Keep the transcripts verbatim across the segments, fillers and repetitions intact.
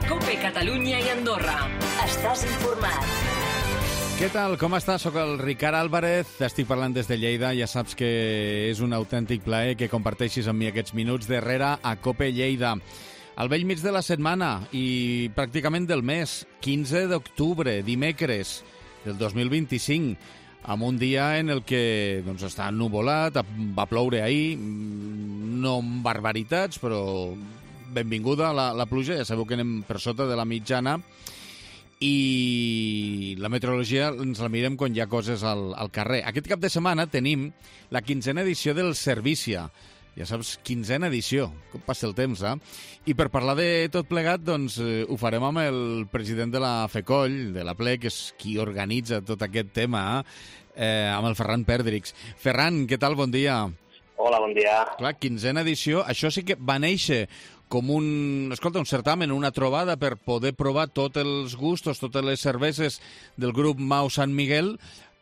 COPE Catalunya i Andorra. Estàs informat. Què tal? Com estàs? Soc el Ricard Álvarez, estic parlant des de Lleida. Ja saps que és un autèntic plaer que comparteixis amb mi aquests minuts darrere a COPE Lleida. Al vell mig de la setmana i pràcticament del mes, quinze d'octubre, dimecres del dos mil vint-i-cinc, amb un dia en el que doncs, està ennuvolat, va ploure ahir, no amb barbaritats, però benvinguda la, la pluja, ja sabeu que anem per sota de la mitjana, i la meteorologia ens la mirem quan hi ha coses al, al carrer. Aquest cap de setmana tenim la quinzena edició del Servícia. Ja saps, quinzena edició, com passa el temps, eh? I per parlar de tot plegat, doncs, eh, ho farem amb el president de la FECOLL, de la Ple, que és qui organitza tot aquest tema, eh, amb el Ferran Perdrix. Ferran, què tal? Bon dia. Hola, bon dia. Clar, quinzena edició, això sí que va néixer com un, escolta, un certamen, una trobada per poder provar tots els gustos, totes les cerveses del grup Mau Sant Miguel,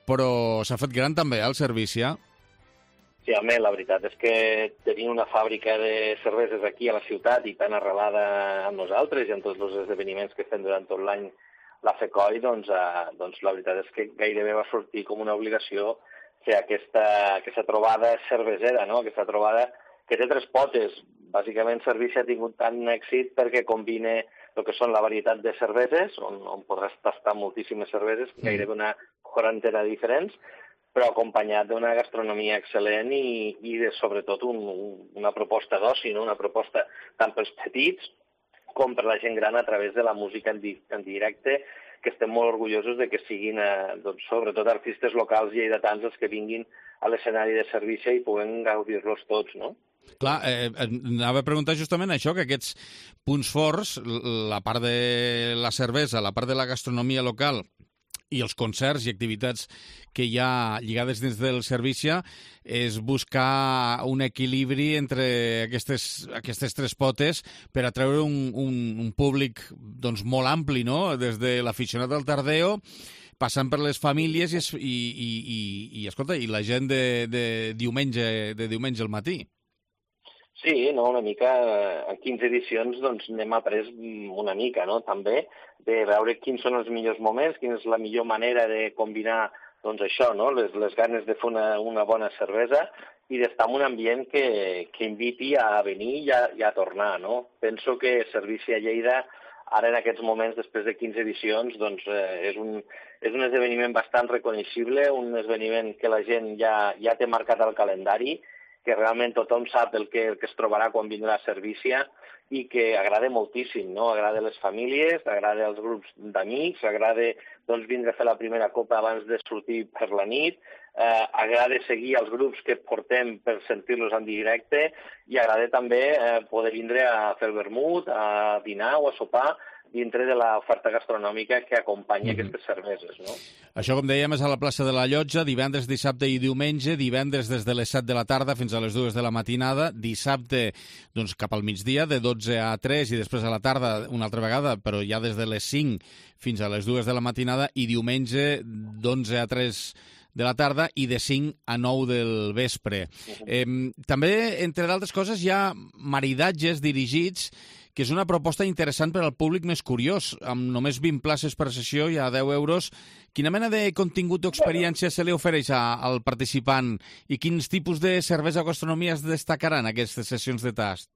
però s'ha fet gran també, eh, el Servícia. Sí, home, la veritat és que tenir una fàbrica de cerveses aquí a la ciutat i tan arrelada amb nosaltres i en tots els esdeveniments que fem durant tot l'any la FECOLL, doncs, eh, doncs la veritat és que gairebé va sortir com una obligació fer aquesta, aquesta trobada cervesera, no? Aquesta trobada que té tres potes. Bàsicament, Servícia ha tingut tant èxit perquè combina el que són la varietat de cerveses, on, on podràs tastar moltíssimes cerveses, mm. gairebé una quarantena de diferents, però acompanyat d'una gastronomia excel·lent i, i de, sobretot, un, una proposta d'oci, no? Una proposta tant pels petits com per la gent gran a través de la música en, di en directe, que estem molt orgullosos de que siguin, eh, doncs, sobretot, artistes locals lleidatans els que vinguin a l'escenari de Servícia i puguem gaudir-los tots, no? Clar, eh, anava a preguntar justament això, que aquests punts forts, la part de la cervesa, la part de la gastronomia local i els concerts i activitats que hi ha lligades dins del Servícia, és buscar un equilibri entre aquestes, aquestes tres potes per atreure un, un, un públic doncs, molt ampli, no? Des de l'aficionat al tardeo, passant per les famílies i, i, i, i, i, escolta, i la gent de, de, diumenge, de diumenge al matí. Sí, no, una mica, en quinze edicions doncs n'hem après una mica, no?, també, de veure quins són els millors moments, quina és la millor manera de combinar, doncs això, no?, les, les ganes de fer una, una bona cervesa i d'estar en un ambient que, que inviti a venir i a, i a tornar, no? Penso que Servícia Lleida, ara en aquests moments, després de quinze edicions, doncs eh, és, un, és un esdeveniment bastant reconeixible, un esdeveniment que la gent ja, ja té marcat al calendari, que realment tothom sap el que, el que es trobarà quan vindrà a Servícia i que agrada moltíssim, no? Agrada a les famílies, agrada als grups d'amics, agrada doncs, vindre a fer la primera copa abans de sortir per la nit, eh, agrada seguir els grups que portem per sentir-los en directe i agrada també eh, poder vindre a fer el vermut, a dinar o a sopar dintre de l'oferta gastronòmica que acompanya mm-hmm. aquestes cerveses, no? Això, com dèiem, és a la plaça de la Llotja, divendres, dissabte i diumenge, divendres des de les set de la tarda fins a les dues de la matinada, dissabte doncs, cap al migdia, de dotze a tres, i després a la tarda una altra vegada, però ja des de les cinc fins a les dues de la matinada, i diumenge d'onze a tres de la tarda i de cinc a nou del vespre. Uh-huh. Eh, també, entre d'altres coses, hi ha maridatges dirigits, que és una proposta interessant per al públic més curiós. Amb només vint places per sessió i a deu euros, quina mena de contingut o experiència se li ofereix a, al participant i quins tipus de cervesa o gastronomia es destacaran aquestes sessions de tast?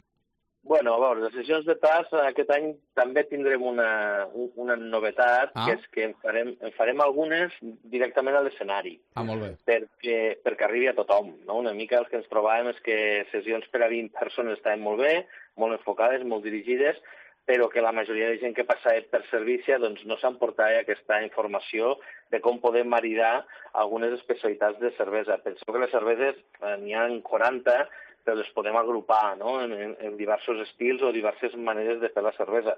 Bueno, a veure, les sessions de tast aquest any també tindrem una, una novetat, ah. que és que en farem, en farem algunes directament a l'escenari. Ah, molt bé. Perquè, perquè arribi a tothom, no? Una mica el que ens trobàvem és que sessions per a vint persones estaven molt bé, molt enfocades, molt dirigides, però que la majoria de gent que passa per Servícia doncs, no s'emportava aquesta informació de com podem maridar algunes especialitats de cervesa. Penseu que les cerveses eh, n'hi ha quaranta, però les podem agrupar, no?, en, en, en diversos estils o diverses maneres de fer la cervesa.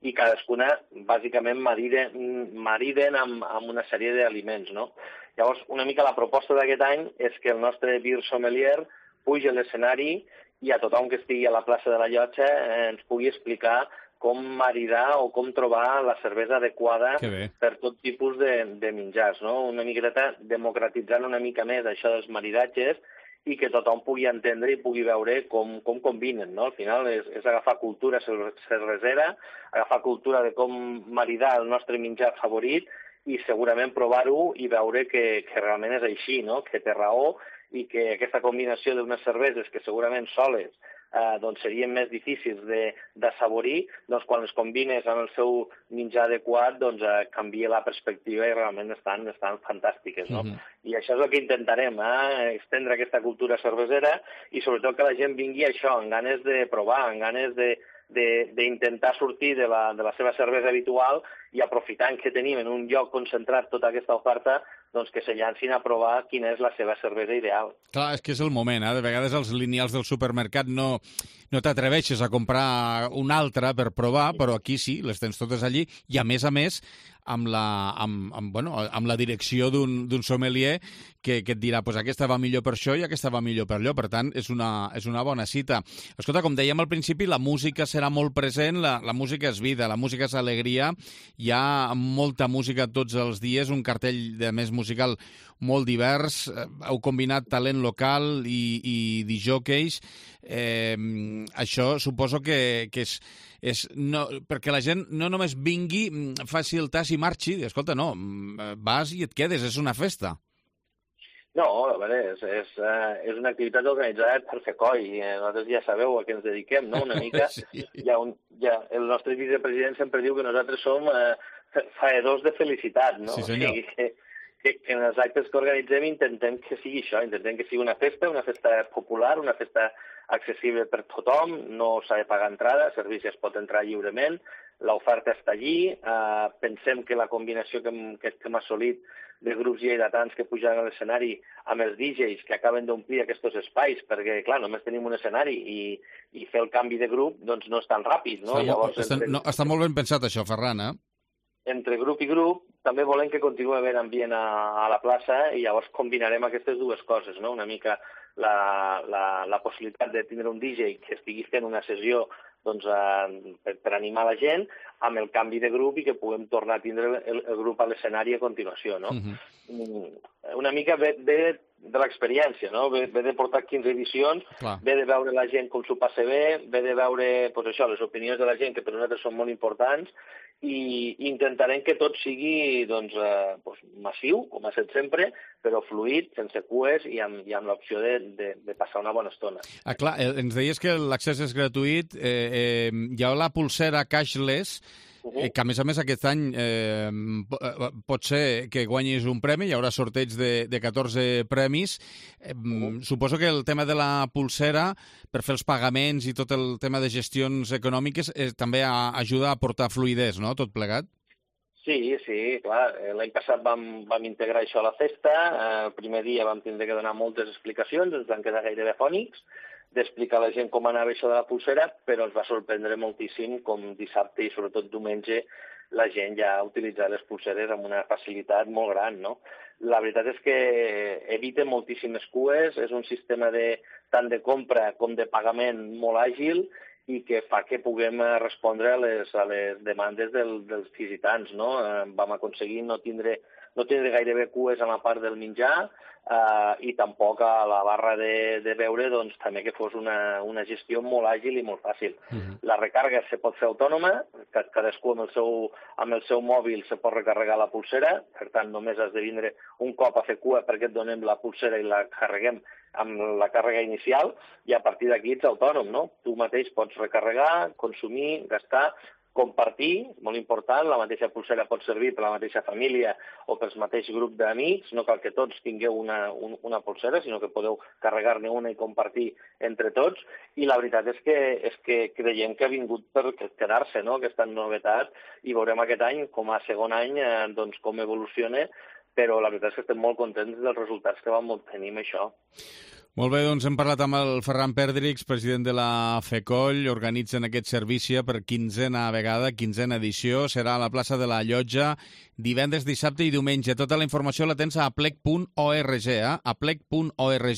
I cadascuna, bàsicament, mariden, mariden amb, amb una sèrie d'aliments, no? Llavors, una mica la proposta d'aquest any és que el nostre beer sommelier pugi a l'escenari i a tothom que estigui a la plaça de la Llotja eh, ens pugui explicar com maridar o com trobar la cervesa adequada per tot tipus de, de menjars, no? Una miqueta democratitzant una mica més això dels maridatges i que tothom pugui entendre i pugui veure com, com combinen, no? Al final és, és agafar cultura cervesera, agafar cultura de com maridar el nostre menjar favorit i segurament provar-ho i veure que, que realment és així, no? Que té raó i que aquesta combinació d'unes cerveses que segurament soles eh, doncs serien més difícils de, de saborir, doncs quan les combines amb el seu menjar adequat doncs eh, canvia la perspectiva i realment estan, estan fantàstiques, no? Mm-hmm. I això és el que intentarem, eh? Estendre aquesta cultura cervesera i sobretot que la gent vingui a això, amb ganes de provar, amb ganes de d'intentar sortir de la, de la seva cervesa habitual i aprofitant que tenim en un lloc concentrat tota aquesta oferta, doncs que se llancin a provar quina és la seva cervesa ideal. Clar, és que és el moment, eh? De vegades els lineals del supermercat no, no t'atreveixes a comprar una altra per provar, però aquí sí, les tens totes allí, i a més a més amb la, amb, amb, bueno, amb la direcció d'un sommelier que, que et dirà pues aquesta va millor per això i aquesta va millor per allò. Per tant, és una, és una bona cita. Escolta, com dèiem al principi, la música serà molt present, la, la música és vida, la música és alegria, hi ha molta música tots els dies, un cartell de més musical molt divers, heu combinat talent local i, i disjòqueis. Eh, això suposo que, que és, és no, perquè la gent no només vingui, faci el tas i marxi, escolta, no, vas i et quedes, és una festa. No, a veure, és, és, uh, és una activitat organitzada per FECOI, i nosaltres ja sabeu a què ens dediquem, no? Una mica, sí. hi ha un, ja, el nostre vicepresident sempre diu que nosaltres som uh, faedors de felicitat, no? Sí, senyor. O sigui, que, que, que en els actes que organitzem intentem que sigui això, intentem que sigui una festa, una festa popular, una festa accessible per tothom, no s'ha de pagar entrada, el servici es pot entrar lliurement, l'oferta està allí, eh, pensem que la combinació que hem, que hem assolit de grups lleidatans que pujaran a l'escenari amb els D Js que acaben d'omplir aquests espais, perquè, clar, només tenim un escenari i, i fer el canvi de grup doncs no és tan ràpid, no? Està, Llavors, molt, entre... no, està molt ben pensat això, Ferran, eh? Entre grup i grup també volem que continuï havent ambient a, a la plaça i llavors combinarem aquestes dues coses, no? Una mica la, la, la possibilitat de tindre un D J que estigui fent una sessió doncs, eh, per, per animar la gent, amb el canvi de grup i que puguem tornar a tindre el, el grup a l'escenari a continuació, no? Uh-huh. Una mica ve, ve de l'experiència, no? Ve, ve de portar quinze edicions, Clar. ve de veure la gent com s'ho passa bé, ve de veure pues, això, les opinions de la gent, que per nosaltres són molt importants, i intentarem que tot sigui doncs, eh, doncs, massiu, com ha estat sempre, però fluid, sense cues i amb, i amb l'opció de, de, de passar una bona estona. Ah, clar, ens deies que l'accés és gratuït, eh, eh, hi ha la pulsera cashless, eh, que a més a més aquest any eh, pot ser que guanyis un premi, hi haurà sorteig de, de catorze premis. Eh, uh-huh. Suposo que el tema de la pulsera, per fer els pagaments i tot el tema de gestions econòmiques, eh, també a, ajuda a portar fluidesa, no?, tot plegat? Sí, sí, clar. L'any passat vam, vam integrar això a la festa. El primer dia vam tindre que donar moltes explicacions, ens van quedar gairebé fònics, d'explicar a la gent com anava això de la pulsera, però ens va sorprendre moltíssim com dissabte i sobretot diumenge la gent ja ha utilitzat les pulseres amb una facilitat molt gran, no? La veritat és que evita moltíssimes cues, és un sistema de, tant de compra com de pagament molt àgil i que fa que puguem respondre a les, a les demandes del, dels visitants, no? Eh, vam aconseguir no tindre, no tindre gairebé cues a la part del menjar, Uh, i tampoc a la barra de, de beure doncs, també que fos una, una gestió molt àgil i molt fàcil. Uh-huh. La recàrrega se pot fer autònoma, cadascú amb el, seu, amb el seu mòbil se pot recarregar la pulsera, per tant només has de vindre un cop a fer cua perquè et donem la pulsera i la carreguem amb la càrrega inicial i a partir d'aquí ets autònom, no? Tu mateix pots recarregar, consumir, gastar, compartir, molt important, la mateixa pulsera pot servir per la mateixa família o pel mateix grup d'amics, no cal que tots tingueu una, un, una pulsera, sinó que podeu carregar-ne una i compartir entre tots, i la veritat és que, és que creiem que ha vingut per quedar-se, no?, aquesta novetat, i veurem aquest any, com a segon any, eh, doncs com evoluciona, però la veritat és que estem molt contents dels resultats que vam obtenir amb això. Molt bé, doncs hem parlat amb el Ferran Perdrix, president de la FECOI, organitzen aquest servici per quinzena vegada, quinzena edició, serà a la plaça de la Llotja, divendres, dissabte i diumenge. Tota la informació la tens a aplec punt org, eh? aplec punt org,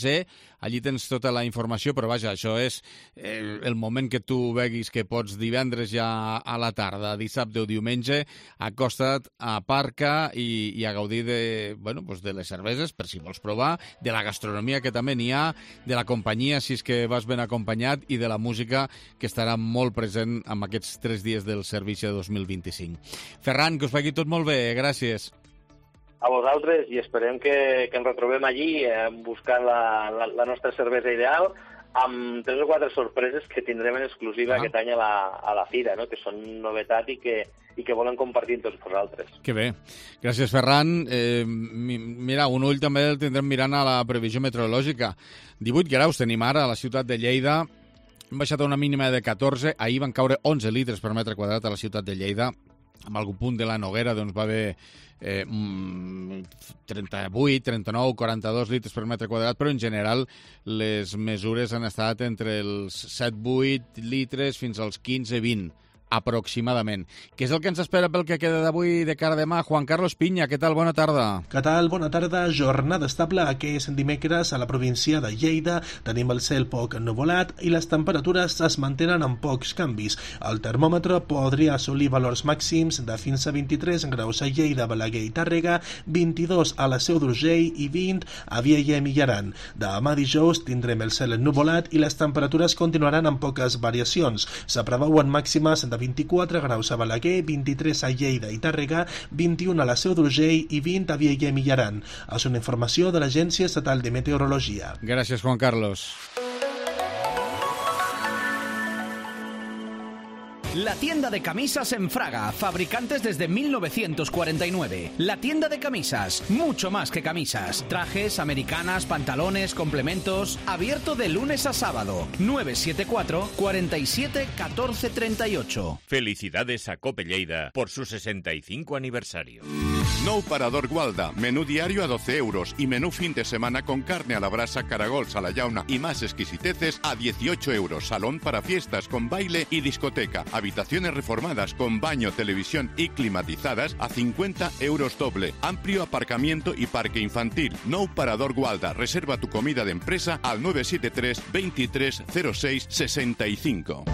allí tens tota la informació, però vaja, això és eh, el moment que tu veguis que pots divendres ja a la tarda, dissabte o diumenge, acosta't, aparca i, i a gaudir de, bueno, pues de les cerveses, per si vols provar, de la gastronomia que també n'hi ha, de la companyia, si és que vas ben acompanyat, i de la música, que estarà molt present en aquests tres dies del servici de dos mil vint-i-cinc. Ferran, que us vagi tot molt bé, gràcies. A vosaltres, i esperem que, que ens retrobem allí eh, buscant la, la, la nostra cervesa ideal, amb tres o quatre sorpreses que tindrem en exclusiva ah. aquest any a la, a la fira, no? Que són novetat i que, i que volen compartir amb tots vosaltres. Que bé. Gràcies, Ferran. Eh, mira, un ull també el tindrem mirant a la previsió meteorològica. divuit graus tenim ara a la ciutat de Lleida. Hem baixat a una mínima de catorze. Ahir van caure onze litres per metre quadrat a la ciutat de Lleida. Amb algun punt de la Noguera doncs, va haver eh, trenta-vuit, trenta-nou, quaranta-dos litres per metre quadrat, però en general les mesures han estat entre els set vuit litres fins als quinze vint aproximadament. Què és el que ens espera pel que queda d'avui de cara a demà? Juan Carlos Piña, què tal? Bona tarda. Què tal? Bona tarda. Jornada estable aquest dimecres a la província de Lleida. Tenim el cel poc ennuvolat i les temperatures es mantenen amb pocs canvis. El termòmetre podria assolir valors màxims de fins a vint-i-tres graus a Lleida, Balaguer i Tàrrega, vint-i-dos a la Seu d'Urgell i vint a Vielha i Aran. Demà dijous tindrem el cel ennuvolat i les temperatures continuaran amb poques variacions. S'apreveuen màximes de vint-i-quatre graus a Balaguer, vint-i-tres a Lleida i Tàrrega, vint-i-un a la Seu d'Urgell i vint a Vielha i Aran. És una informació de l'Agència Estatal de Meteorologia. Gràcies, Juan Carlos. La tienda de camisas en Fraga, fabricantes desde mil novecientos cuarenta y nueve. La tienda de camisas, mucho más que camisas. Trajes, americanas, pantalones, complementos. Abierto de lunes a sábado. nueve siete cuatro, cuarenta y siete, catorce treinta y ocho. Felicidades a Cope Lleida por su sesenta y cinco aniversario. Nou Parador Gualda, menú diario a doce euros y menú fin de semana con carne a la brasa, caragols a la llauna y más exquisiteces a dieciocho euros. Salón para fiestas con baile y discoteca. Habitaciones reformadas con baño, televisión y climatizadas a cincuenta euros doble. Amplio aparcamiento y parque infantil. Nou Parador Gualda. Reserva tu comida de empresa al nueve siete tres, veintitrés, cero seis, sesenta y cinco.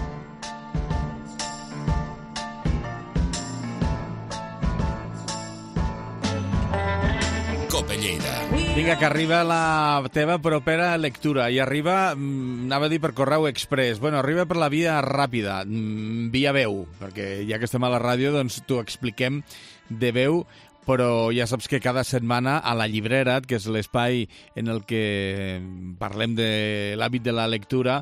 Vinga, que arriba la teva propera lectura i arriba, anava a dir per correu express, bueno, arriba per la via ràpida, via veu, perquè ja que estem a la ràdio, doncs t'ho expliquem de veu, però ja saps que cada setmana a la llibrera, que és l'espai en el que parlem de l'hàbit de la lectura,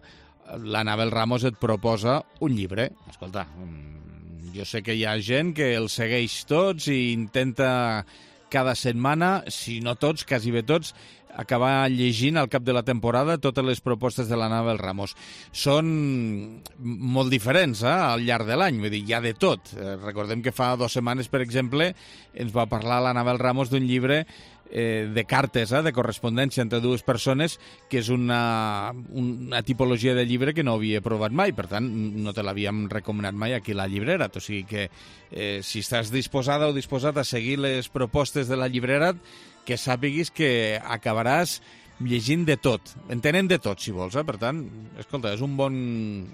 l'Anabel Ramos et proposa un llibre. Escolta, jo sé que hi ha gent que els segueix tots i intenta cada setmana, si no tots, quasi bé tots, acabar llegint al cap de la temporada totes les propostes de l'Anabel Ramos. Són molt diferents eh, al llarg de l'any, vull dir, hi ha de tot. Eh, recordem que fa dues setmanes, per exemple, ens va parlar l'Anabel Ramos d'un llibre eh, de cartes, eh, de correspondència entre dues persones, que és una, una tipologia de llibre que no havia provat mai, per tant, no te l'havíem recomanat mai aquí a la llibrera. O sigui que eh, si estàs disposada o disposat a seguir les propostes de la llibrera, que sàpiguis que acabaràs llegint de tot. En tenen de tot, si vols, eh? Per tant, escolta, és un bon,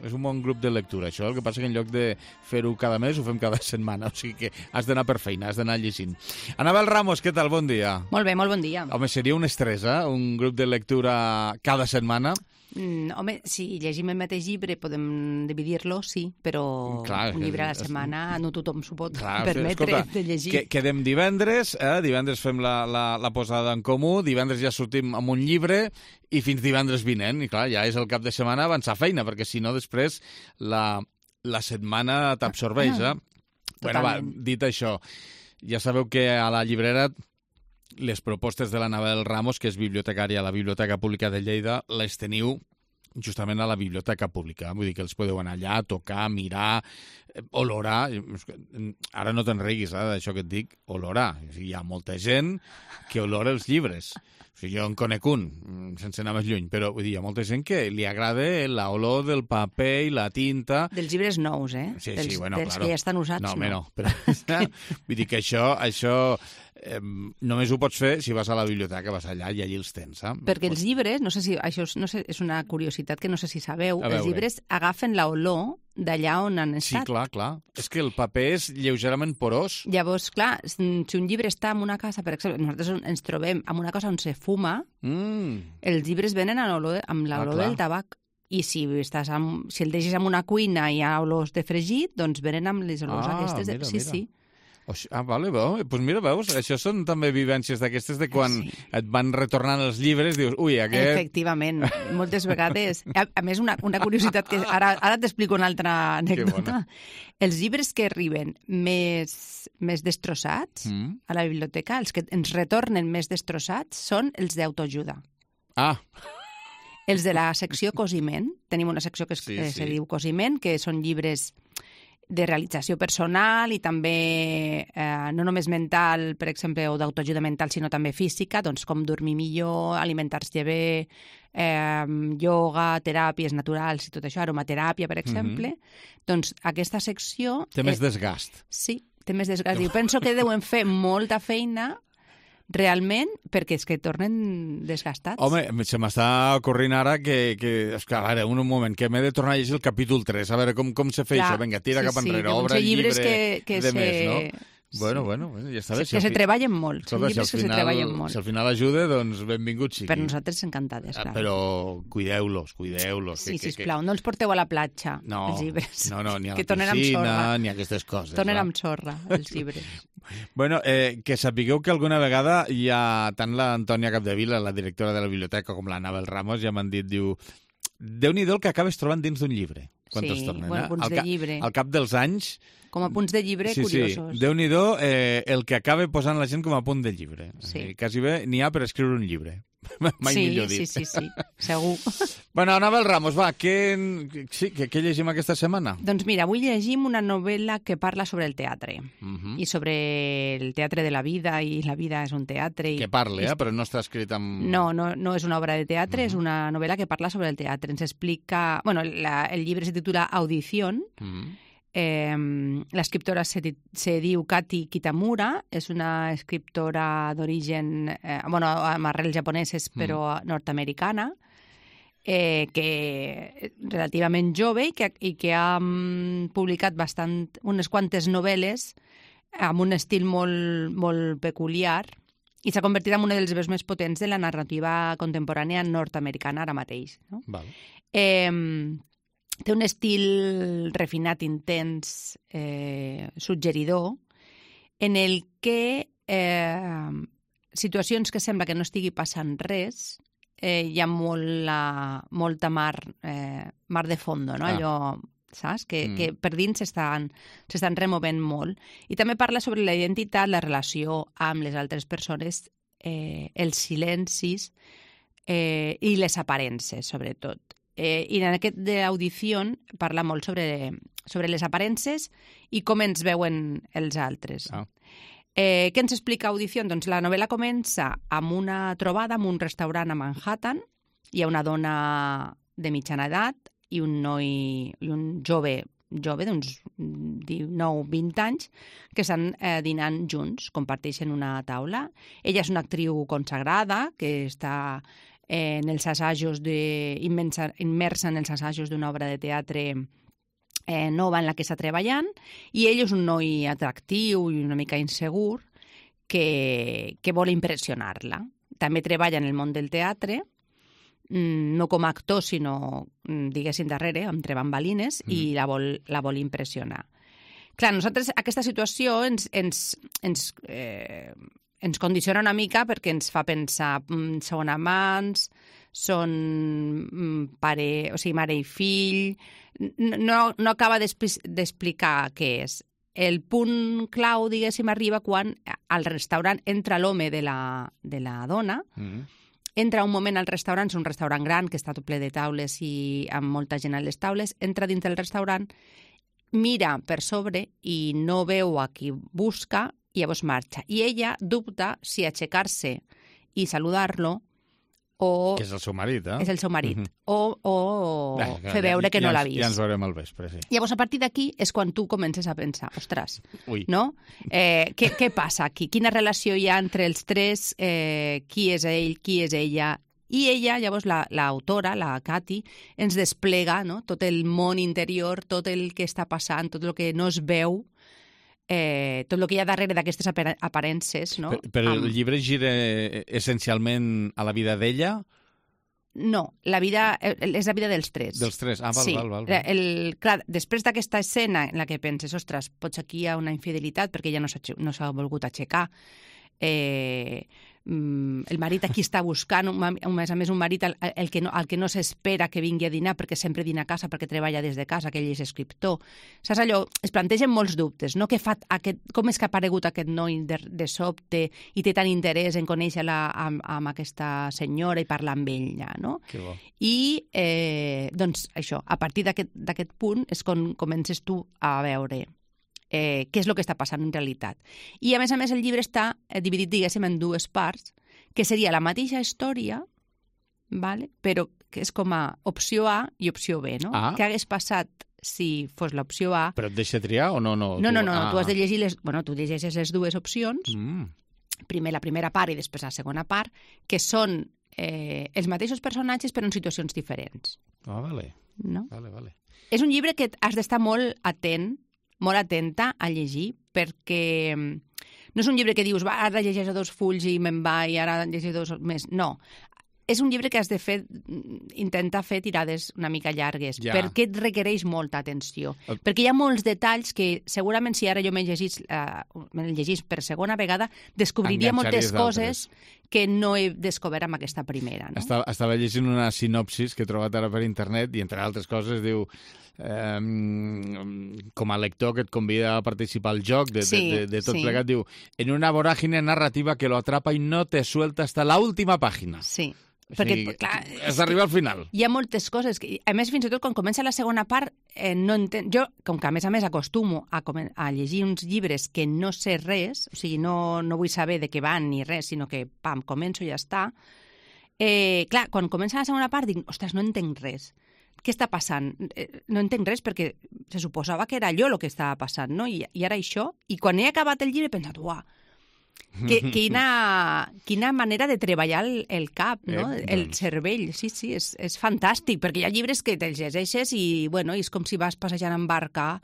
és un bon grup de lectura, això. El que passa que en lloc de fer-ho cada mes, ho fem cada setmana. O sigui que has d'anar per feina, has d'anar llegint. Anabel Ramos, què tal? Bon dia. Molt bé, molt bon dia. Home, seria un estrès, eh? Un grup de lectura cada setmana. Mm, home, si llegim el mateix llibre podem dividir-lo, sí, però clar, un llibre a la setmana no tothom s'ho pot clar, permetre escolta, de llegir. Que, quedem divendres, eh? Divendres fem la, la, la posada en comú, divendres ja sortim amb un llibre i fins divendres vinent, i clar, ja és el cap de setmana avançar feina, perquè si no després la, la setmana t'absorbeix, eh? Bueno, va, dit això, ja sabeu que a la llibrera les propostes de l'Anabel Ramos, que és bibliotecària a la Biblioteca Pública de Lleida, les teniu justament a la Biblioteca Pública. Vull dir que els podeu anar allà, tocar, mirar, olorar. Ara no te'n riguis, eh, d'això que et dic, olorar. O sigui, hi ha molta gent que olora els llibres. O sigui, jo en conec un, sense anar més lluny, però vull dir, hi ha molta gent que li agrada l'olor del paper i la tinta. Dels llibres nous, eh? Sí, dels, sí, bueno, dels claro. que ja estan usats. No, home, no. no. Però, vull dir que això, això eh, només ho pots fer si vas a la biblioteca, vas allà i allí els tens, saps? Perquè els llibres, no sé si això és, no sé, és una curiositat que no sé si sabeu, els llibres agafen l'olor d'allà on han estat. Sí, clar, clar. És que el paper és lleugerament porós. Llavors, clar, si un llibre està en una casa, per exemple, nosaltres ens trobem en una casa on se fuma, mm. els llibres venen amb l'olor, amb l'olor ah, del tabac. I si, estàs amb, si el deixes en una cuina i hi ha olors de fregit, doncs venen amb les olors ah, aquestes. De... Mira, sí, mira. sí. Ah, vale, doncs pues mira, veus, això són també vivències d'aquestes de quan sí. et van retornant els llibres, dius, ui, aquest... Efectivament, moltes vegades. A, a més, una, una curiositat que ara, ara t'explico una altra anècdota. Els llibres que arriben més, més destrossats mm. a la biblioteca, els que ens retornen més destrossats, són els d'autoajuda. Ah, els de la secció cosiment, tenim una secció que es, sí, sí. se diu cosiment, que són llibres de realització personal i també eh, no només mental, per exemple, o d'autoajuda mental, sinó també física, doncs com dormir millor, alimentar-se bé, eh, ioga, teràpies naturals i tot això, aromateràpia, per exemple. Mm-hmm. Doncs aquesta secció... Té més desgast. Sí, té més desgast. Jo penso que deuen fer molta feina realment, perquè és que tornen desgastats. Home, se m'està ocorrint ara que, que és que, a veure, un moment, que m'he de tornar a llegir el capítol tres, a veure com, com se fa això, vinga, tira sí, cap enrere, sí, obre el llibre que, que de se... més, no? Bueno, bueno, ja està bé. Que se treballen molt, són llibres que se treballen molt. Si al final ajuda, doncs benvingut sigui. Per nosaltres encantades, clar. Però cuideu-los, cuideu-los. Sí, sisplau, no els porteu a la platja, els llibres. No, no, ni a la piscina, ni a aquestes coses. Tornen amb sorra, els llibres. Bueno, eh, que sapigueu que alguna vegada hi ha tant l'Antònia Capdevila, la directora de la biblioteca, com l'Anabel Ramos, ja m'han dit, diu, Déu-n'hi-do el que acabes trobant dins d'un llibre. Quan sí, tornen, bueno, eh? punts al de llibre. Al cap dels anys... Com a punts de llibre sí, curiosos. Sí, Déu-n'hi-do eh, el que acaba posant la gent com a punt de llibre. Sí. Eh, quasi bé n'hi ha per escriure un llibre. Mai sí, millor dit. Sí, sí, sí, segur. Bueno, Anabel Ramos, va, què, sí, què, què llegim aquesta setmana? Doncs mira, avui llegim una novel·la que parla sobre el teatre uh-huh. i sobre el teatre de la vida, i la vida és un teatre. I... Que parle, eh? Però no està escrit amb... No, no, no és una obra de teatre, uh-huh. és una novel·la que parla sobre el teatre. Ens explica... Bueno, la, el llibre se titula Audición. Uh-huh. Eh, l'escriptora se, se diu Kati Kitamura, és una escriptora d'origen, eh, bueno, amb arrels japoneses, però mm. nord-americana, eh, que relativament jove i que, i que ha um, publicat bastant, unes quantes novel·les amb un estil molt, molt peculiar i s'ha convertit en una de les veus més potents de la narrativa contemporània nord-americana ara mateix. No? Val. Eh, Té un estil refinat, intens, eh, suggeridor, en el que eh, situacions que sembla que no estigui passant res, eh, hi ha molt, molta mar, eh, mar de fondo, no? Ah. Allò, saps? Que, mm. que per dins s'estan removent molt. I també parla sobre la identitat, la relació amb les altres persones, eh, els silencis eh, i les aparences, sobretot. Eh, I en aquest d'audició parla molt sobre, sobre les aparences i com ens veuen els altres. Ah. Eh, què ens explica Audició? Doncs la novel·la comença amb una trobada en un restaurant a Manhattan. Hi ha una dona de mitjana edat i un noi i un jove, jove d'uns dinou vint anys, que estan eh, dinant junts, comparteixen una taula. Ella és una actriu consagrada que està en els assajos de, immensa, immersa en els assajos d'una obra de teatre eh, nova en la que està treballant, i ell és un noi atractiu i una mica insegur que, que vol impressionar-la. També treballa en el món del teatre, no com a actor, sinó, diguéssim, darrere, entre bambalines, mm. i la vol, la vol impressionar. Clar, nosaltres aquesta situació ens... ens, ens eh, ens condiciona una mica perquè ens fa pensar, mm, són amants, són mm, pare, o sigui, mare i fill, no, no acaba d'explicar què és. El punt clau, diguéssim, arriba quan al restaurant entra l'home de, la, de la dona, mm-hmm. entra un moment al restaurant, és un restaurant gran que està tot ple de taules i amb molta gent a les taules, entra dins del restaurant, mira per sobre i no veu a qui busca, i llavors marxa. I ella dubta si aixecar-se i saludar-lo o... Que és el seu marit, eh? És el seu marit. Uh-huh. O, o Bé, fer veure que ja, no l'ha ja, vist. Ja ens veurem al vespre, sí. Llavors, a partir d'aquí és quan tu comences a pensar, ostres, Ui. no? Eh, què, què passa aquí? Quina relació hi ha entre els tres? Eh, qui és ell? Qui és ella? I ella, llavors, l'autora, la, la Cati, ens desplega, no?, tot el món interior, tot el que està passant, tot el que no es veu, eh, tot el que hi ha darrere d'aquestes aparences, no? Però Amb... el llibre gira essencialment a la vida d'ella? No, la vida és la vida dels tres. Dels tres, ah, val, sí. val, val. val. El, clar, després d'aquesta escena en la que penses, ostres, potser aquí hi ha una infidelitat perquè ella no s'ha no s'ha volgut aixecar, eh, el marit aquí està buscant, a més a més un marit el, el que no, el que no s'espera que vingui a dinar perquè sempre dina a casa, perquè treballa des de casa, que ell és escriptor. Saps allò? Es plantegen molts dubtes, no? Que fa aquest, com és que ha aparegut aquest noi de, de sobte i té tant interès en conèixer-la amb, amb aquesta senyora i parlar amb ella, no? Que bo. I, eh, doncs, això, a partir d'aquest punt és quan comences tu a veure Eh, què és el que està passant en realitat. I, a més a més, el llibre està dividit, diguéssim, en dues parts, que seria la mateixa història, vale? Però que és com a opció A i opció B, no? Ah. Què hagués passat si fos l'opció A? Però et deixa triar o no? No, No, no, no, ah. tu has de llegir les... Bueno, tu llegeixes les dues opcions, Mm. primer la primera part i després la segona part, que són eh, els mateixos personatges però en situacions diferents. Ah, vale. No? Vale, vale. És un llibre que has d'estar molt atent, molt atenta a llegir, perquè no és un llibre que dius, va, ara llegeixo dos fulls i me'n va i ara llegeixo dos més. No. És un llibre que has de fer, intentar fer tirades una mica llargues, ja. perquè et requereix molta atenció. El... Perquè hi ha molts detalls que segurament si ara jo m'he llegit, uh, m'he llegit per segona vegada, descobriria moltes coses que no he descobert amb aquesta primera. No? Estava, estava llegint una sinopsis que he trobat ara per internet i, entre altres coses, diu eh, com a lector que et convida a participar al joc de, sí, de, de, de tot sí. plegat, diu, en una vorágine narrativa que lo atrapa y no te suelta hasta la última página. Sí. O Perquè, sigui, clar, has d'arribar al final. Hi ha moltes coses. Que, a més, fins i tot quan comença la segona part, eh, no entenc... Jo, com que a més a més acostumo a, a llegir uns llibres que no sé res, o sigui, no, no vull saber de què van ni res, sinó que, pam, començo i ja està. Eh, clar, quan comença la segona part dic, ostres, no entenc res. Què està passant? Eh, no entenc res perquè se suposava que era allò el que estava passant, no? I, i ara això. I quan he acabat el llibre he pensat, uah, que, quina, quina manera de treballar el, el cap, no? Eh, El doncs. cervell, sí, sí, és, és fantàstic, perquè hi ha llibres que te'ls llegeixes i, bueno, és com si vas passejant en barca,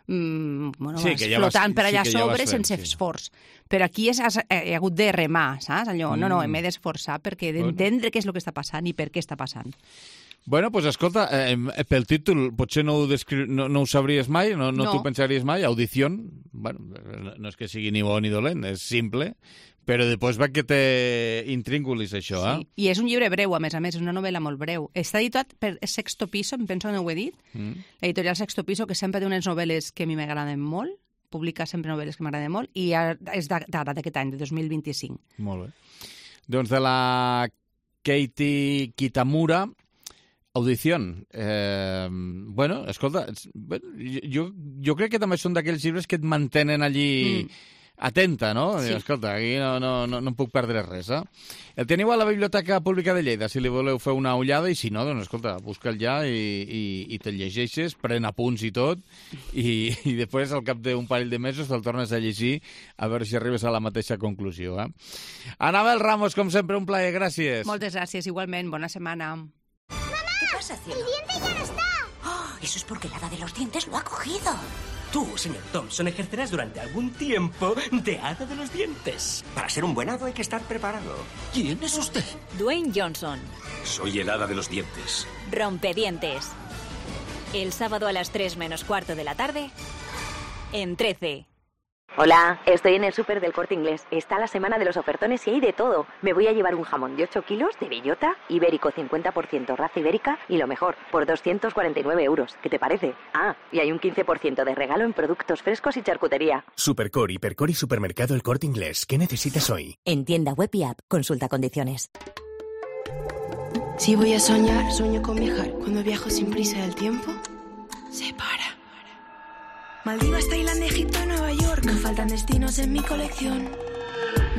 mm, bueno, Sí, vas que ja flotant vas- per allà sí que ja sobre vas fent, sense sí. esforç. Però aquí és, has, he hagut de remar, saps? Allò, no, no, Mm. m'he d'esforçar perquè d'entendre què és el que està passant i per què està passant. Bueno, doncs pues, escolta, eh, pel títol potser no ho, descri... no, no ho sabries mai, no, no, No. t'ho pensaries mai, Audició, bueno, no, no és que sigui ni bo ni dolent, és simple, però després va que te intríngulis això, eh? Sí. I és un llibre breu, a més a més, és una novel·la molt breu. Està editat per Sexto Piso, em penso que no ho he dit, Mm. l'editorial Sexto Piso, que sempre té unes novel·les que a mi m'agraden molt, publica sempre novel·les que m'agraden molt, i ara és d'ara, d'aquest any, de dos mil vint-i-cinc. Molt bé. Doncs de la Katie Kitamura, Audició. Eh, bueno, escolta, bueno, jo, jo crec que també són d'aquells llibres que et mantenen allí... Mm. Atenta, no? Sí. Escolta, aquí no, no, no, no em puc perdre res, eh? El teniu a la Biblioteca Pública de Lleida, si li voleu fer una ullada, i si no, doncs, escolta, busca'l ja i, i, i te'l llegeixes, pren apunts i tot, i, i després, al cap d'un parell de mesos, te'l tornes a llegir a veure si arribes a la mateixa conclusió, eh? Anabel Ramos, com sempre, un plaer, gràcies. Moltes gràcies, igualment, bona setmana. ¿Qué pasa, cielo? ¡El diente ya no está! ¡Oh! Eso es porque el hada de los dientes lo ha cogido. Tú, señor Thompson, ejercerás durante algún tiempo de hada de los dientes. Para ser un buen hado hay que estar preparado. ¿Quién es usted? Dwayne Johnson. Soy el hada de los dientes. Rompedientes. El sábado a las tres menos cuarto de la tarde, en trece. Hola, estoy en el súper del Corte Inglés. Está la semana de los ofertones y hay de todo. Me voy a llevar un jamón de ocho kilos de bellota, ibérico cincuenta por ciento raza ibérica y lo mejor, por doscientos cuarenta y nueve euros. ¿Qué te parece? Ah, y hay un quince por ciento de regalo en productos frescos y charcutería. Supercor, Hipercor y Supermercado El Corte Inglés. ¿Qué necesitas hoy? En tienda web y app. Consulta condiciones. Si voy a soñar, sueño con viajar. Cuando viajo sin prisa del tiempo, se para. Maldivas, Tailandia, Egipto y Nueva York. No faltan destinos en mi colección.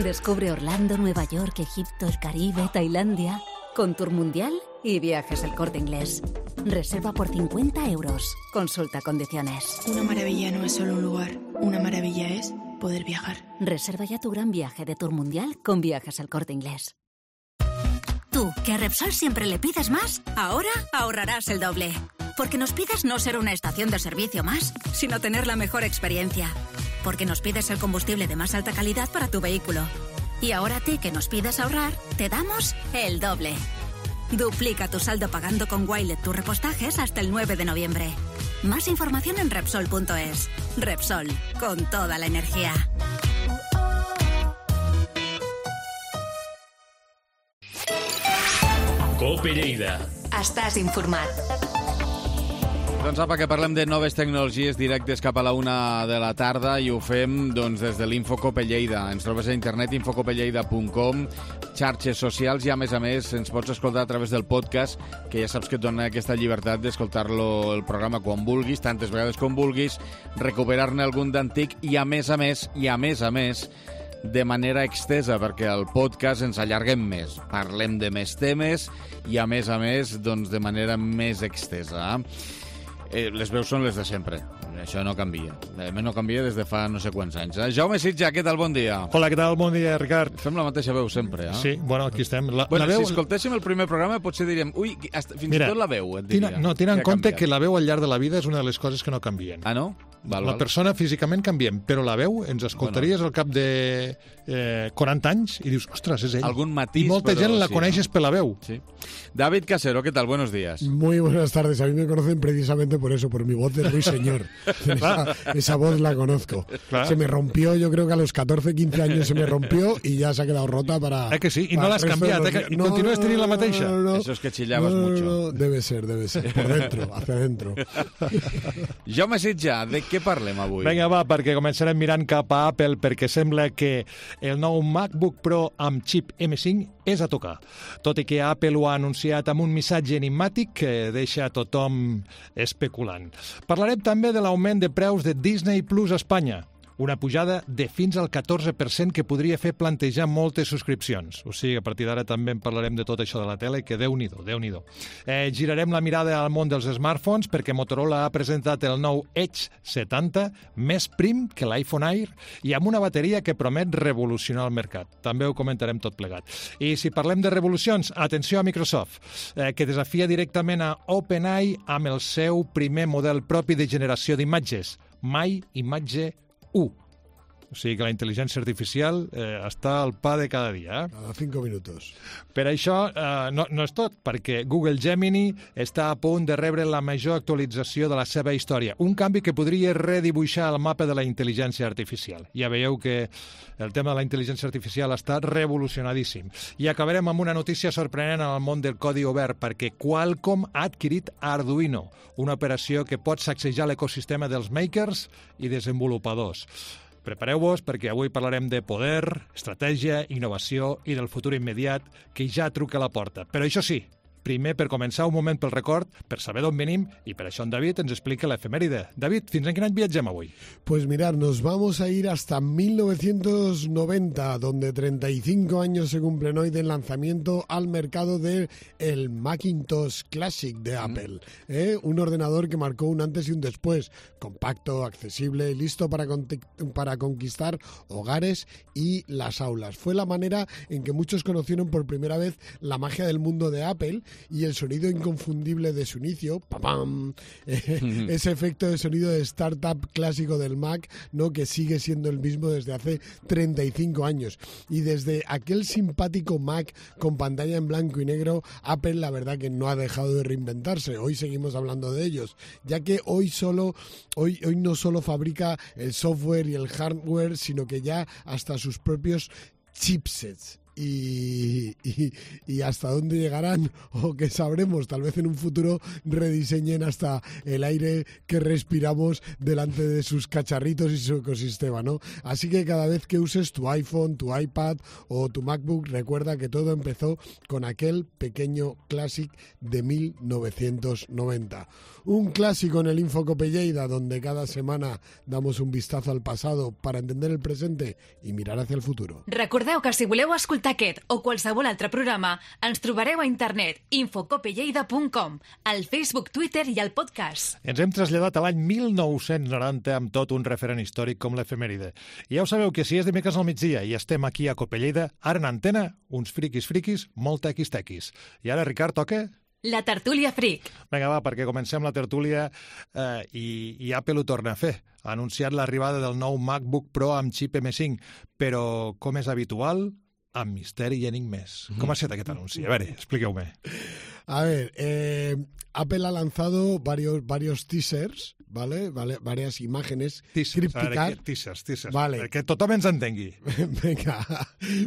Descubre Orlando, Nueva York, Egipto, el Caribe, Tailandia Con Tour Mundial y Viajes El Corte Inglés. Reserva por cincuenta euros. Consulta condiciones. Una maravilla no es solo un lugar. Una maravilla es poder viajar. Reserva ya tu gran viaje de Tour Mundial con Viajes El Corte Inglés. Tú, que a Repsol siempre le pides más, ahora ahorrarás el doble. Porque nos pides no ser una estación de servicio más, sino tener la mejor experiencia. Porque nos pides el combustible de más alta calidad para tu vehículo. Y ahora a ti, que nos pides ahorrar, te damos el doble. Duplica tu saldo pagando con Wilet tus repostajes hasta el nueve de noviembre. Más información en Repsol punto es. Repsol, con toda la energía. Cope Lleida. Estàs informat. Doncs apa, que parlem de noves tecnologies directes cap a la una de la tarda i ho fem doncs, des de l'Infocope Lleida. Ens trobes a internet infocopelleida punt com, xarxes socials i, a més a més, ens pots escoltar a través del podcast, que ja saps que et dona aquesta llibertat d'escoltar-lo el programa quan vulguis, tantes vegades com vulguis, recuperar-ne algun d'antic i, a més a més, i a més a més, de manera extesa, perquè al podcast ens allarguem més, parlem de més temes i, a més a més, doncs, de manera més extesa. Eh, les veus són les de sempre. Això no canvia. A més, no canvia des de fa no sé quants anys. Eh? Jaume Sitja, què tal? Bon dia. Hola, què tal? Bon dia, Ricard. Fem la mateixa veu sempre, eh? Sí, bueno, aquí estem. La, bueno, la veu... si escoltéssim el primer programa potser diríem, ui, hasta, fins Mira, i tot la veu, et diria. Tina, no, tenen en compte que la veu al llarg de la vida és una de les coses que no canvien. Ah, no? Val, la val. persona físicament canviem, però la veu ens escoltaries bueno. al cap de eh, quaranta anys i dius, ostres, és ell. Algun matís, I molta però gent la sí, coneixes no? per la veu. Sí. David Casero, ¿qué tal? Buenos días. Muy buenas tardes. A mí me conocen precisamente por eso, por mi voz de ruiseñor. esa, esa voz la conozco. Claro. Se me rompió, yo creo que a los catorce, quince años se me rompió y ya se ha quedado rota para... Eh que sí? I no l'has canviat, eh? Que... I no, continúes tenint la mateixa? No, no, Eso es que chillabas no, no, mucho. No, debe ser, debe ser. Por dentro, hacia adentro. Jaume Sitja, de què parlem avui? Vinga, va, perquè començarem mirant cap a Apple, perquè sembla que el nou MacBook Pro amb xip eme cinc és a tocar. Tot i que Apple ho ha anunciat amb un missatge enigmàtic que deixa tothom especulant. Parlarem també de l'augment de preus de Disney Plus a Espanya. Una pujada de fins al catorze per cent que podria fer plantejar moltes subscripcions. O sigui, a partir d'ara també en parlarem de tot això de la tele, que Déu-n'hi-do, Déu-n'hi-do. Eh, girarem la mirada al món dels smartphones perquè Motorola ha presentat el nou Edge setanta, més prim que l'iPhone Air i amb una bateria que promet revolucionar el mercat. També ho comentarem tot plegat. I si parlem de revolucions, atenció a Microsoft, eh, que desafia directament a OpenAI amb el seu primer model propi de generació d'imatges, My Imatge u. O sigui que la intel·ligència artificial eh, està al pa de cada dia. Eh? Cada cinco minutos. Per això eh, no, no és tot, perquè Google Gemini està a punt de rebre la major actualització de la seva història. Un canvi que podria redibuixar el mapa de la intel·ligència artificial. Ja veieu que el tema de la intel·ligència artificial està revolucionadíssim. I acabarem amb una notícia sorprenent en el món del codi obert, perquè Qualcomm ha adquirit Arduino, una operació que pot sacsejar l'ecosistema dels makers i desenvolupadors. Prepareu-vos perquè avui parlarem de poder, estratègia, innovació i del futur immediat que ja truca a la porta. Però això sí, primer, per començar, un moment pel record, per saber d'on venim, i per això en David ens explica l'efemèride. David, fins en quin any viatgem avui? Pues mirad, nos vamos a ir hasta mil novecientos noventa, donde treinta y cinco años se cumplen hoy del lanzamiento al mercado del el Macintosh Classic de Apple. ¿eh? Un ordenador que marcó un antes y un después, compacto, accesible y listo para, con para conquistar hogares y las aulas. Fue la manera en que muchos conocieron por primera vez la magia del mundo de Apple y el sonido inconfundible de su inicio, ¡pam! Eh, ese efecto de sonido de startup clásico del Mac, ¿no? Que sigue siendo el mismo desde hace treinta y cinco años. Y desde aquel simpático Mac con pantalla en blanco y negro, Apple la verdad que no ha dejado de reinventarse. Hoy seguimos hablando de ellos, ya que hoy solo hoy, hoy no solo fabrica el software y el hardware, sino que ya hasta sus propios chipsets. Y, y, y hasta dónde llegarán o que sabremos, tal vez en un futuro rediseñen hasta el aire que respiramos delante de sus cacharritos y su ecosistema, ¿no? Así que cada vez que uses tu iPhone, tu iPad o tu MacBook, recuerda que todo empezó con aquel pequeño Classic de mil novecientos noventa. Un clásico en el Infocope Lleida, donde cada semana damos un vistazo al pasado para entender el presente y mirar hacia el futuro. Recordeu que si voleu escoltar escoltar aquest o qualsevol altre programa, ens trobareu a internet infocopelleida punt com, al Facebook, Twitter i al podcast. Ens hem traslladat a l'any mil nou-cents noranta amb tot un referent històric com l'efemèride. I ja ho sabeu que si és dimecres al migdia i estem aquí a Copelleida, ara en antena, uns friquis friquis, molt tequis-tequis. I ara, Ricard, toca... La tertúlia fric. Vinga, va, perquè comencem la tertúlia eh, i, i Apple ho torna a fer. Ha anunciat l'arribada del nou MacBook Pro amb xip eme cinc, però, com és habitual, amb misteri i enigmes. Mm. Com ha estat aquest anunci? A veure, expliqueu-me. A ver, eh, Apple ha lanzado varios, varios teasers, ¿vale? Vale, varias imágenes teasers, crípticas. Veure, teasers, teasers, vale. Perquè tothom ens entengui. Venga,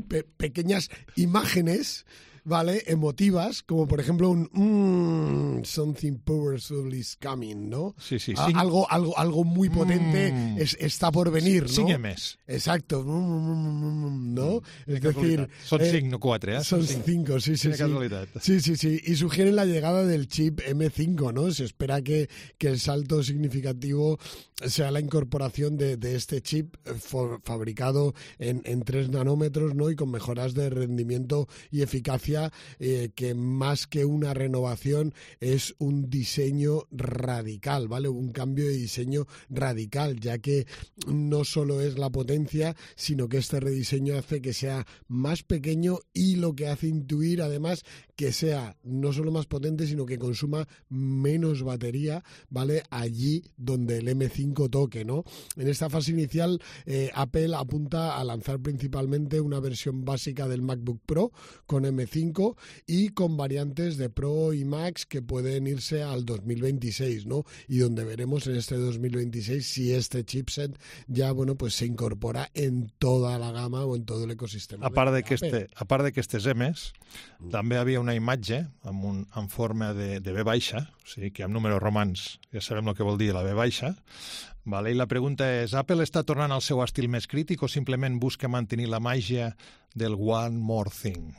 Pe pequeñas imágenes, ¿vale? Emotivas, como por ejemplo un mmm, something powerful is coming, ¿no? Sí, sí, A sí. Algo, algo, algo muy potente mm. es, está por venir, ¿no? Cinc més. Exacto, ¿no? Mm. Es decir... Son eh, cinc, no quatre, ¿eh? Son cinco, cinco sí, sí, Qué sí. casualidad. Sí, sí, sí. Y sugieren la llegada del chip eme cinco, ¿no? Se espera que, que el salto significativo sea la incorporación de, de este chip fabricado en, en tres nanómetros, ¿no? Y con mejoras de rendimiento y eficacia eh, que más que una renovación es un diseño radical, ¿vale? Un cambio de diseño radical, ya que no solo es la potencia, sino que este rediseño hace que sea más pequeño y lo que hace intuir además que sea no solo más potente, sino que consuma menos batería, ¿vale? Allí donde el eme cinco toque, ¿no? En esta fase inicial, eh, Apple apunta a lanzar principalmente una versión básica del MacBook Pro con eme cinco y con variantes de Pro y Max que pueden irse al dos mil veintiséis, ¿no? Y donde veremos en este dos mil veintiséis si este chipset ya, bueno, pues se incorpora en toda la gama o en todo el ecosistema. A part de de que este, a part d'aquestes emes, mm. també havia una imatge amb, un, en forma de, de B baixa, o sigui que amb números romans ja sabem el que vol dir la B baixa, vale? I la pregunta és, Apple està tornant al seu estil més crític o simplement busca mantenir la màgia del one more thing?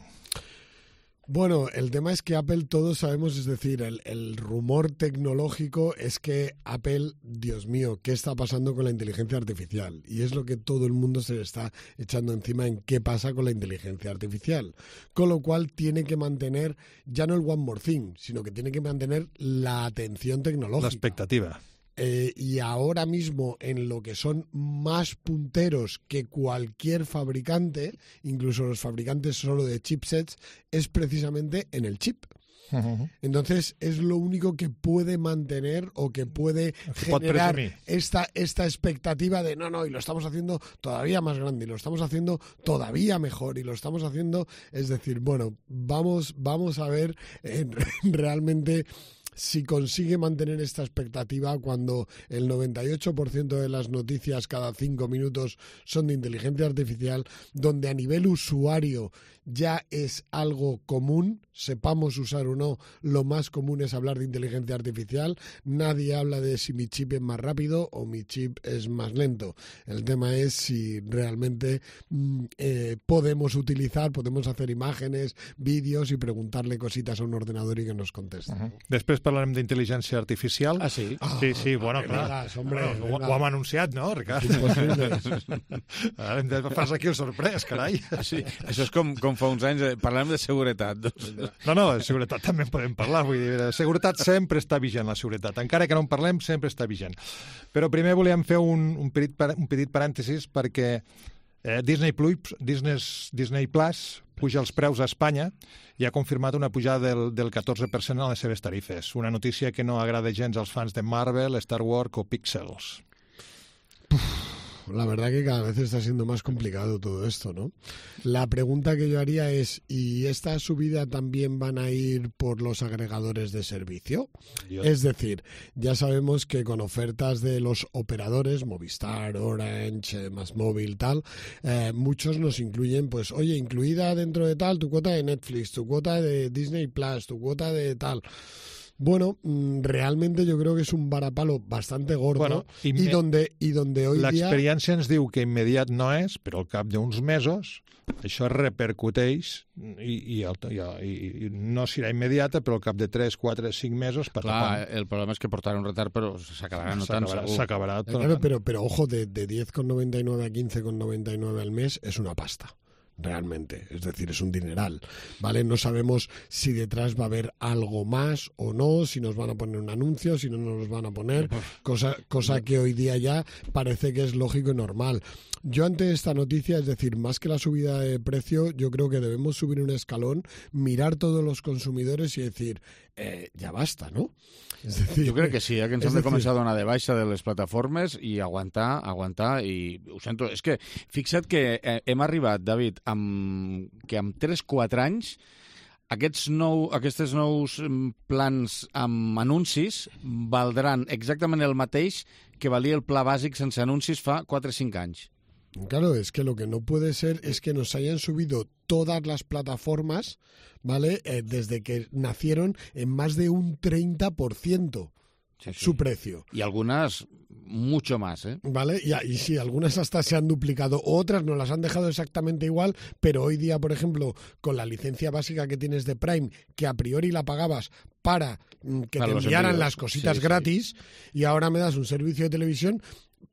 Bueno, el tema es que Apple todos sabemos, es decir, el, el rumor tecnológico es que Apple, Dios mío, ¿qué está pasando con la inteligencia artificial? Y es lo que todo el mundo se le está echando encima en qué pasa con la inteligencia artificial. Con lo cual tiene que mantener ya no el one more thing, sino que tiene que mantener la atención tecnológica. La expectativa. Eh, y ahora mismo en lo que son más punteros que cualquier fabricante, incluso los fabricantes solo de chipsets, es precisamente en el chip. Uh-huh. Entonces es lo único que puede mantener o que puede generar esta, esta expectativa de no, no, y lo estamos haciendo todavía más grande, y lo estamos haciendo todavía mejor, y lo estamos haciendo, es decir, bueno, vamos, vamos a ver eh, realmente si consigue mantener esta expectativa cuando el noventa y ocho por ciento de las noticias cada cinco minutos son de inteligencia artificial, donde a nivel usuario ya es algo común, sepamos usar o no, lo más común es hablar de inteligencia artificial. Nadie habla de si mi chip es más rápido o mi chip es más lento. El tema es si realmente eh, podemos utilizar, podemos hacer imágenes, vídeos y preguntarle cositas a un ordenador y que nos conteste. Uh-huh. Després parlarem d'intel·ligència artificial. Ah, sí? Ah, sí, sí, bueno, clar. Vegas, hombre, bueno, ho, ho hem anunciat, no, Ricard? Ara hem de fas aquí el sorprès, carai. Sí, això és com, com fa uns anys, eh, parlem de seguretat. Doncs. No, no, de seguretat també en podem parlar. Vull dir, de seguretat sempre està vigent, la seguretat. Encara que no en parlem, sempre està vigent. Però primer volíem fer un, un, petit, un petit parèntesis perquè eh, Disney Plus, Disney, Disney Plus puja els preus a Espanya i ha confirmat una pujada del, del catorze per cent a les seves tarifes. Una notícia que no agrada gens als fans de Marvel, Star Wars o Pixels. La verdad que cada vez está siendo más complicado todo esto, ¿no? La pregunta que yo haría es, ¿y esta subida también van a ir por los agregadores de servicio? Dios. Es decir, ya sabemos que con ofertas de los operadores, Movistar, Orange, Más Móvil, tal, eh, muchos nos incluyen, pues, oye, incluida dentro de tal tu cuota de Netflix, tu cuota de Disney Plus, tu cuota de tal... Bueno, realmente yo creo que es un varapalo bastante gordo bueno, i, i, donde, i donde hoy dia... L'experiència ens diu que immediat no és, però al cap d'uns mesos això repercuteix i, i, i, i no serà immediata, però al cap de tres, quatre, cinc mesos... Clar, el problema és que portarà un retard, però s'acabarà notant segur. S'acabarà tot. Claro, pero, pero ojo, de, de diez con noventa y nueve a quince con noventa y nueve al mes es una pasta. realmente, es decir, es un dineral, ¿vale? No sabemos si detrás va a haber algo más o no, si nos van a poner un anuncio, si no nos van a poner, cosa, cosa que hoy día ya parece que es lógico y normal. Yo ante esta noticia, es decir, más que la subida de precio, yo creo que debemos subir un escalón, mirar todos los consumidores y decir, eh, ja basta, no? És decir, jo crec que sí, eh, que ens hem de decir... començar a donar de baixa de les plataformes i aguantar, aguantar, i ho sento, és que fixa't que eh, hem arribat, David, amb, que amb tres quatre anys aquests nou, aquests nous plans amb anuncis valdran exactament el mateix que valia el pla bàsic sense anuncis fa quatre cinc anys. Claro, es que lo que no puede ser es que nos hayan subido todas las plataformas, ¿vale? Eh, desde que nacieron en más de un treinta por ciento sí, sí. su precio. Y algunas mucho más, ¿eh? Vale, y, y sí, algunas hasta se han duplicado, otras nos las han dejado exactamente igual, pero hoy día, por ejemplo, con la licencia básica que tienes de Prime, que a priori la pagabas para mm, que para te enviaran las cositas sí, gratis, sí. y ahora me das un servicio de televisión,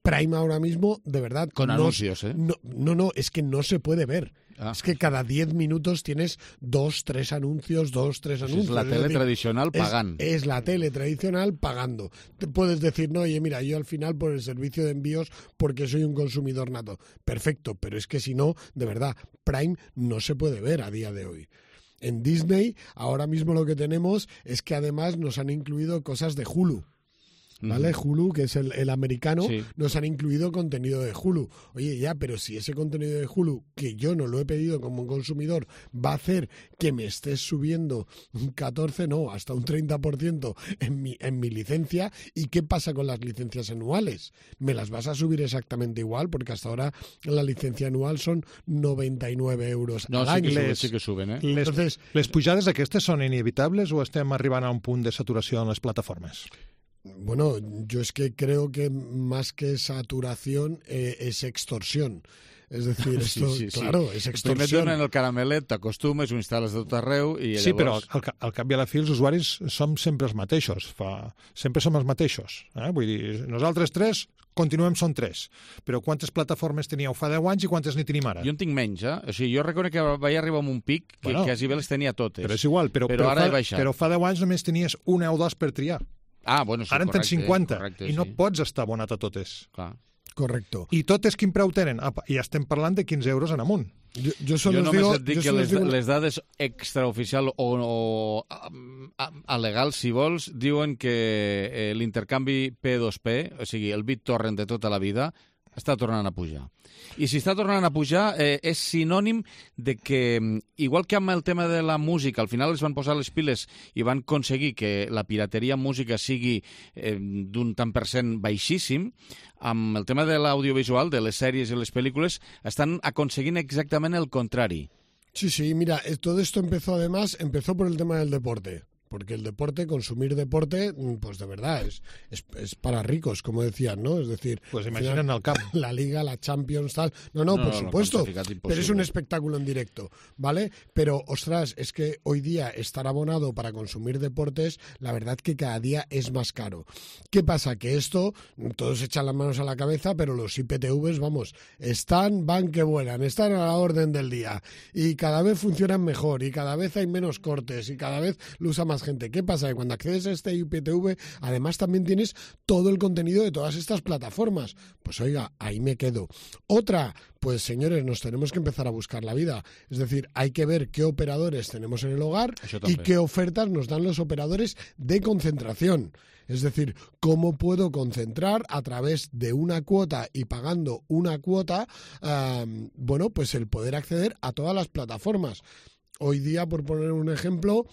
Prime ahora mismo, de verdad... Con no, anuncios, ¿eh? No, no, no, es que no se puede ver. Ah. Es que cada diez minutos tienes dos, tres anuncios, dos, tres anuncios. Es la tele es decir, tradicional pagando. Es, es la tele tradicional pagando. Te puedes decir, no, oye, mira, yo al final por el servicio de envíos porque soy un consumidor nato. Perfecto, pero es que si no, de verdad, Prime no se puede ver a día de hoy. En Disney, ahora mismo lo que tenemos es que además nos han incluido cosas de Hulu. ¿Vale? Mm. Hulu, que es el, el americano, sí. nos han incluido contenido de Hulu. Oye, ya, pero si ese contenido de Hulu, que yo no lo he pedido como un consumidor, va a hacer que me estés subiendo un catorce, no, hasta un treinta por ciento en mi, en mi licencia, ¿y qué pasa con las licencias anuales? ¿Me las vas a subir exactamente igual? Porque hasta ahora la licencia anual son noventa y nueve euros no, al sí any. Que suben, sí que suben, eh? Les, Entonces, les pujades aquestes són inevitables o estem arribant a un punt de saturació en les plataformes? Bueno, yo es que creo que más que saturación eh, es extorsión. Es decir, esto, sí, sí, claro, sí. es extorsió. Primer et donen el caramelet, t'acostumes, ho instal·les de tot arreu i sí, llavors... Sí, però al, al cap i a la fi els usuaris som sempre els mateixos. Fa... Sempre som els mateixos. Eh? Vull dir, nosaltres tres continuem són tres. Però quantes plataformes teníeu fa deu anys i quantes n'hi tenim ara? Jo en tinc menys, eh? O sigui, jo reconec que vaig arribar a un pic que bueno, quasi bé les tenia totes. Però és igual, però, però, però ara fa, he baixat. Però fa deu anys només tenies una o dos per triar. Ah, bueno, sí, ara en tens cinquanta correcte, i no sí. pots estar abonat a totes. Clar. Correcto. I totes quin preu tenen? Apa, i estem parlant de quinze euros en amunt. Jo, jo, jo només digo, et dic que les, digo... les dades extraoficial o, o a, a, a legal, si vols, diuen que eh, l'intercanvi P dos P, o sigui, el BitTorrent de tota la vida, està tornant a pujar. I si està tornant a pujar eh, és sinònim de que, igual que amb el tema de la música, al final es van posar les piles i van aconseguir que la pirateria en música sigui eh, d'un tant per cent baixíssim, amb el tema de l'audiovisual, de les sèries i les pel·lícules, estan aconseguint exactament el contrari. Sí, sí, mira, todo esto empezó además, empezó por el tema del deporte. Porque el deporte, consumir deporte, pues de verdad, es, es, es para ricos, como decían, ¿no? Es decir, pues imaginen al campo. La Liga, la Champions, tal. No, no, no por no, supuesto, pero es un espectáculo en directo, ¿vale? Pero, ostras, es que hoy día estar abonado para consumir deportes, la verdad que cada día es más caro. ¿Qué pasa? Que esto, todos echan las manos a la cabeza, pero los I P T Vs, vamos, están, van que vuelan, están a la orden del día. Y cada vez funcionan mejor, y cada vez hay menos cortes, y cada vez lo usa más gente. ¿Qué pasa? Que cuando accedes a este I P T V, además también tienes todo el contenido de todas estas plataformas. Pues oiga, ahí me quedo. Otra, pues señores, nos tenemos que empezar a buscar la vida. Es decir, hay que ver qué operadores tenemos en el hogar y qué ofertas nos dan los operadores de concentración. Es decir, cómo puedo concentrar a través de una cuota y pagando una cuota, um, bueno, pues el poder acceder a todas las plataformas. Hoy día, por poner un ejemplo,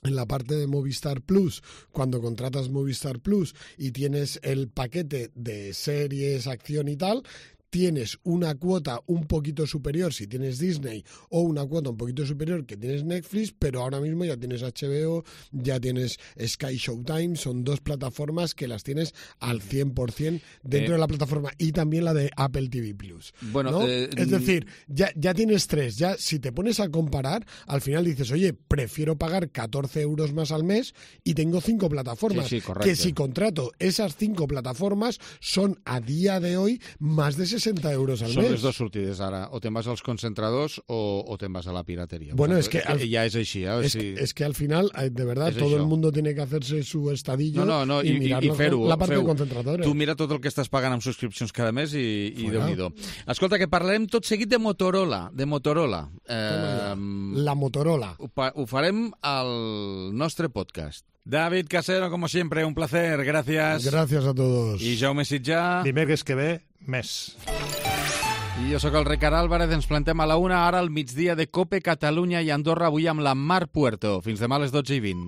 en la parte de Movistar Plus, cuando contratas Movistar Plus y tienes el paquete de series, acción y tal, tienes una cuota un poquito superior si tienes Disney o una cuota un poquito superior que tienes Netflix, pero ahora mismo ya tienes H B O, ya tienes Sky Showtime, son dos plataformas que las tienes al cien por ciento dentro eh. de la plataforma y también la de Apple T V Plus. Bueno, ¿no? eh, es decir, ya, ya tienes tres, ya si te pones a comparar, al final dices, oye, prefiero pagar catorce euros más al mes y tengo cinco plataformas, sí, sí, que si contrato esas cinco plataformas son a día de hoy más de sesenta seixanta euros al Són mes. les dues sortides ara, o te'n vas als concentradors o, o te'n vas a la pirateria. Bueno, es que, al, ya es així. ¿eh? Es, sí. es que al final, de verdad, es todo això. el mundo tiene que hacerse su estadillo no, no, no, y, i, mirar i fer-ho. la parte feu. de concentradores. Tu mira tot el que estàs pagant amb subscripcions cada mes i, i Fuera. Déu-n'hi-do. Escolta, que parlem tot seguit de Motorola. De Motorola. Eh, la Motorola. Ho, ho farem al nostre podcast. David Casero, como siempre, un placer. Gracias. Gracias a todos. I Jaume Sitjà. Dimecres que ve, més. I jo sóc el Ricard Álvarez, ens plantem a la una, ara al migdia de Cope Catalunya i Andorra, avui amb la Mar Puerto. Fins demà a les dotze i vint.